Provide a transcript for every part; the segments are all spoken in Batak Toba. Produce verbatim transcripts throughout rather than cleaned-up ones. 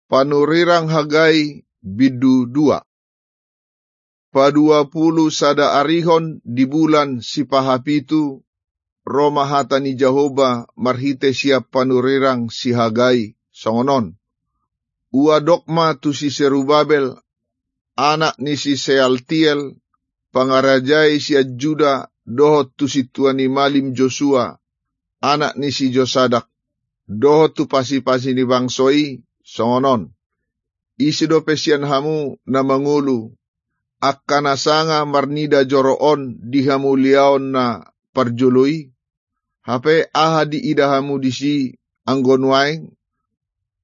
Panurirang Hagai bindu dua. Paduapulu sada arihon di bulan sipahapitu, ro ma hata ni Jahowa marhite sian panurirang si Hagai, songon on: Ua dok ma tu si Serubabel, anak ni si Sealtiel, pangarajai sian Juda, dohot tu sintua ni malim Josua, anak ni si Josadak, dohot tu pasipasi ni bangso i, songon on: Ise dope sian hamu na mangolu, angka na sanga marnida joro on di hamuliaon na parjolo i? Hape aha diida hamu disi anggo nuaeng?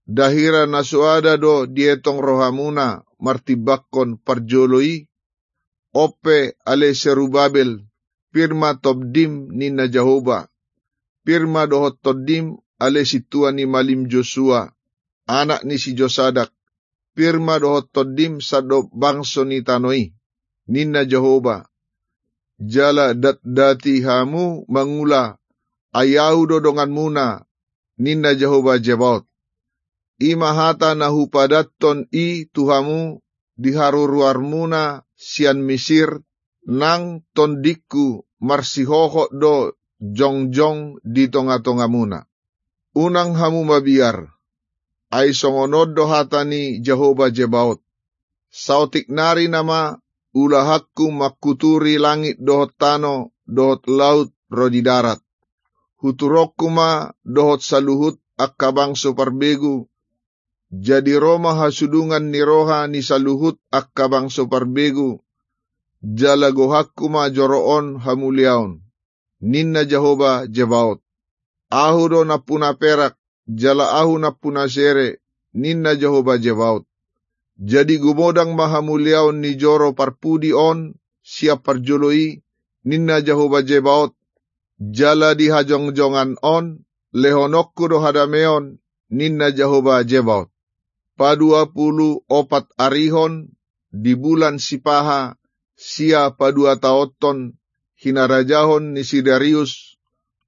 Nda hira na soada do dietong rohamuna martimbangkon parjolo i? On pe, ale Serubabel, pir ma tondim, ninna Jahowa, pir ma dohot tondim, ale sintua ni malim Josua, anak ni si Josadak, pir ma dohot tondim sandok bangso ni tano i, ninna Jahowa, jala datdati hamu mangula, ai ahu do donganmuna, ninna Jahowa Zebaot. I ma hata na hupadathon i tu hamu di haruruarmuna sian Misir, nang tondingku marsihohot do jongjong di tongatongamuna. Unang hamu mabiar, ai songon on do hata ni Jahowa Zebaot: Saotik nari nama ulahanku mangkuturi langit dohot tano dohot laut ro di darat. Huturonku ma dohot saluhut angka bangso parbegu, jadi ro ma hasudungan ni roha ni saluhut angka bangso parbegu, jala gohanku ma joro on hamuliaon, ninna Jahowa Zebaot. Ahu do nampuna perak, jala ahu nampuna sere, ninna Jahowa Zebaot. Jadi gumodang ma hamuliaon ni joro parpudi on sian parjolo i, ninna Jahowa Zebaot, jala di hajongjongan on lehononku do hadameon, ninna Jahowa Zebaot. Paduapulu opat arihon di bulan sipaha, sia paduataonhon hinarajahon ni si Darius,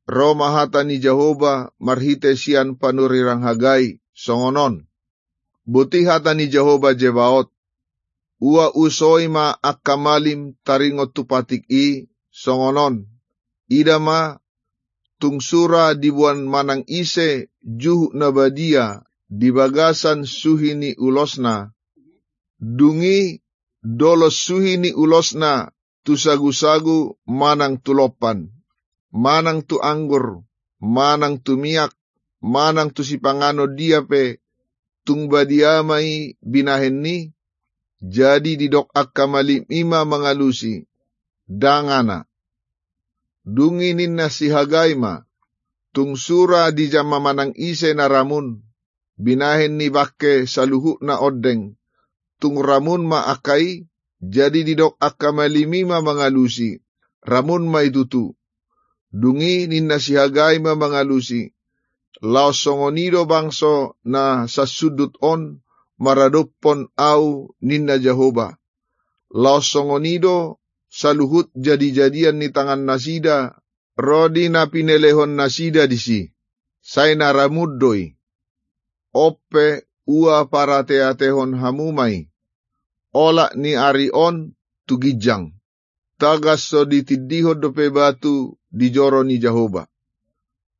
ro ma hata ni Jahowa marhite sian panurirang Hagai, songon on: Boti hata ni Jahowa Zebaot: Ua usoi ma angka malim taringot tu patik i, songon on: Ida ma, tung sura diboan manang ise juhut na badia di bagasan suhi ni ulosna, dung i dolos suhi ni ulosna tu sagusagu manang tu lompan, manang tu anggur, manang tu miak, manang tu sipanganon dia pe, tung badia ma i binahen ni, jadi didok angka malim i ma mangalusi: Ndang, ana. Dung i ninna si Hagai ma: Tung sura dijama manang ise na ramun, binahen ni bangke saluhutna ondeng, tung ramun ma angka i. Jadi didok angka malim i ma mangalusi: Ramun ma i tutu. Dung i ninna si Hagai ma mangalusi: Laos songon i do bangso na sansundut on maradophon ahu, ninna Jahowa. Laos songon i do saluhut jadijadian ni tangannasida ro di na pinelehonnasida disi, sai na ramun do i. On pe, ua parateatehon hamu ma i, olat ni ari on tu ginjang. Tagan so ditindihon dope batu di joro ni Jahowa.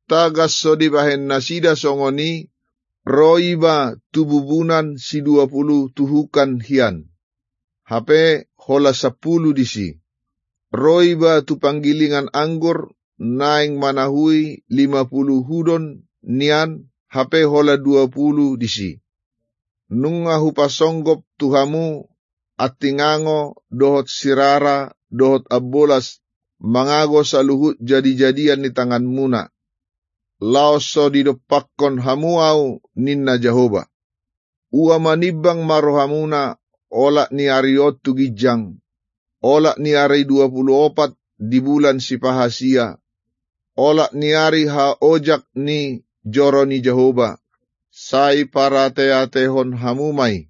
Tagan so dibahen nasida songon i, ro iba tu bubunan siduapulu tuhukan hian, hape holan sampulu disi. Ro iba tu panggilingan anggur naeng manahui limapulu hudon nian, hape holan duapulu disi. Nunga hupasonggop tu hamu antingango dohot sirara dohot ambolas mangago saluhut jadijadian ni tanganmuna, laos so didompakkon hamu ahu, ninna Jahowa. Ua manimbang ma rohamuna olat ni ari on tu ginjang, olat ni ari duapulu opat di bulan sipahasia, olat ni ari haojak ni joro ni Jahowa, sai parateatehon hamu ma i.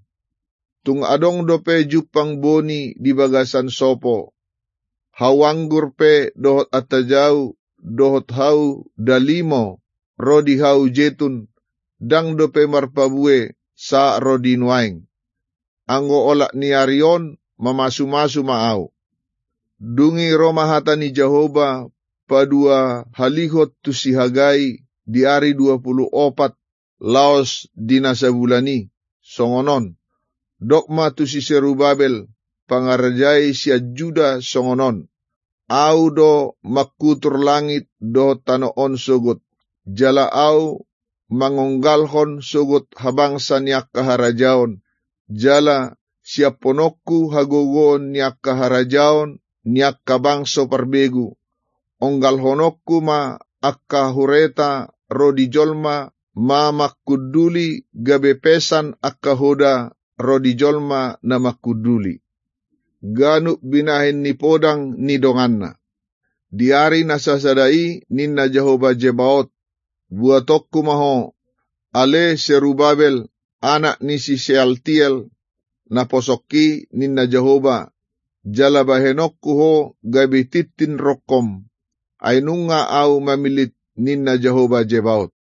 Tung adong dope jumpang boni di bagasan sopo, hau anggur pe dohot antajau, dohot hau dalimo, ro di hau jetun, ndang dope marpabue, sahat ro di nuaeng. Anggo olat ni ari on mamasumasu ma ahu. Dung i ro ma hata ni Jahowa paduahalihon tu si Hagai di ari dua pulu opat laos di na sabulan i, songon on: Dok ma tu si Serubabel, pangarajai sian Juda, songon on: Ahu do mangkutur langit dohot tano on sogot, jala ahu mangonggalhon sogot habangsa ni angka harajaon, jala siaphononku hagogoon ni angka harajaon ni angka bangso parbegu. Onggalhononku ma angka hureta ro di jolma na mangkunduli, gabe pesan angka hoda ro di jolma na mangkunduli. Ganup binahen ni podang ni donganna. Di ari na sasada i, ninna Jahowa Zebaot, buatonku ma ho, ale Serubabel, anak ni si Sealtiel, naposongki, ninna Jahowa, jala bahenonku ho gabe tintin rongkom, ai nunga ahu mamillit, ninna Jahowa Zebaot.